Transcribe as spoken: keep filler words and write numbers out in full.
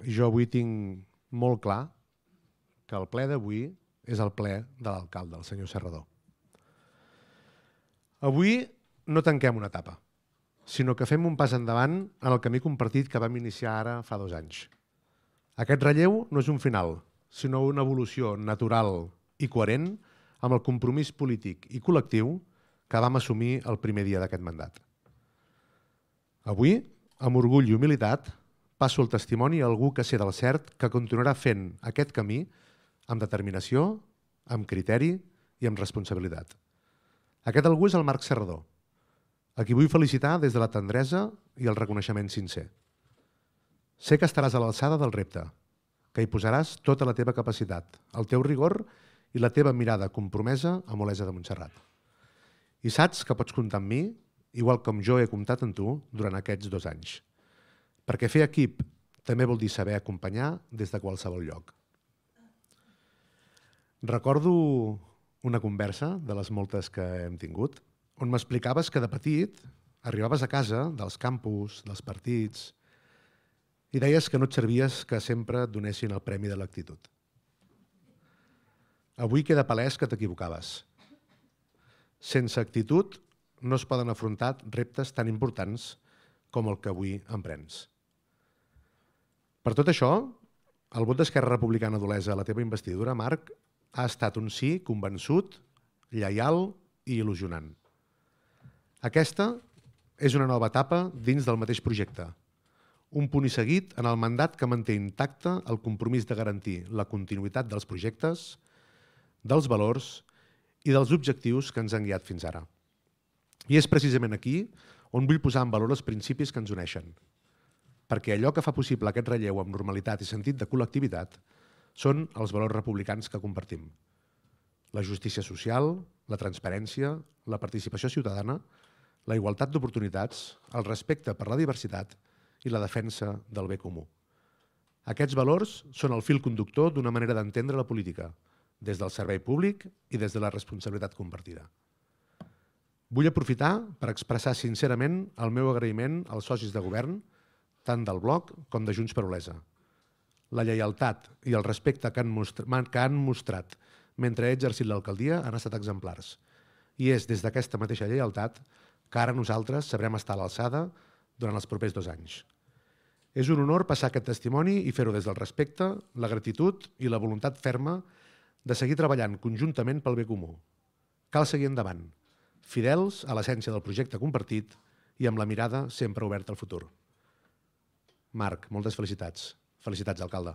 jo avui tinc molt clar que el ple d'avui és el ple de l'alcalde, el senyor Serrador. Avui no tanquem una etapa, sinó que fem un pas endavant en el camí compartit que vam iniciar ara fa dos anys. Aquest relleu no és un final, sinó una evolució natural i coherent amb el compromís polític i col·lectiu que vam assumir el primer dia d'aquest mandat. Avui, amb orgull i humilitat, passo el testimoni a algú que sé del cert que continuarà fent aquest camí amb determinació, amb criteri i amb responsabilitat. Aquest algú és el Marc Serrador, a qui vull felicitar des de la tendresa i el reconeixement sincer. Sé que estaràs a l'alçada del repte, que hi posaràs tota la teva capacitat, el teu rigor i la teva mirada compromesa amb Olesa de Montserrat. I saps que pots comptar amb mi, igual com jo he comptat en tu durant aquests dos anys. Perquè fer equip també vol dir saber acompanyar des de qualsevol lloc. Recordo una conversa de les moltes que hem tingut, on m'explicaves que de petit arribaves a casa dels campus, dels partits, i deies que no et servies que sempre et donessin el premi de l'actitud. Avui queda palès que t'equivocaves. Sense actitud no es poden afrontar reptes tan importants com el que avui emprens. Per tot això, el vot d'Esquerra Republicana d'Olesa a la teva investidura, Marc, ha estat un sí convençut, lleial i il·lusionant. Aquesta és una nova etapa dins del mateix projecte, un punt i seguit en el mandat que manté intacte el compromís de garantir la continuïtat dels projectes, dels valors i dels objectius que ens han guiat fins ara. I és precisament aquí on vull posar en valor els principis que ens uneixen, perquè allò que fa possible aquest relleu amb normalitat i sentit de col·lectivitat són els valors republicans que compartim. La justícia social, la transparència, la participació ciutadana, la igualtat d'oportunitats, el respecte per la diversitat i la defensa del bé comú. Aquests valors són el fil conductor d'una manera d'entendre la política, des del servei públic i des de la responsabilitat compartida. Vull aprofitar per expressar sincerament el meu agraïment als socis de govern, tant del Bloc com de Junts per Olesa. La lleialtat i el respecte que han mostrat, que han mostrat mentre he exercit l'alcaldia han estat exemplars. I és des d'aquesta mateixa lleialtat que ara nosaltres sabrem estar a l'alçada durant els propers dos anys. És un honor passar aquest testimoni i fer-ho des del respecte, la gratitud i la voluntat ferma de seguir treballant conjuntament pel bé comú. Cal seguir endavant, fidels a l'essència del projecte compartit i amb la mirada sempre oberta al futur. Marc, moltes felicitats. Felicitats, alcalde.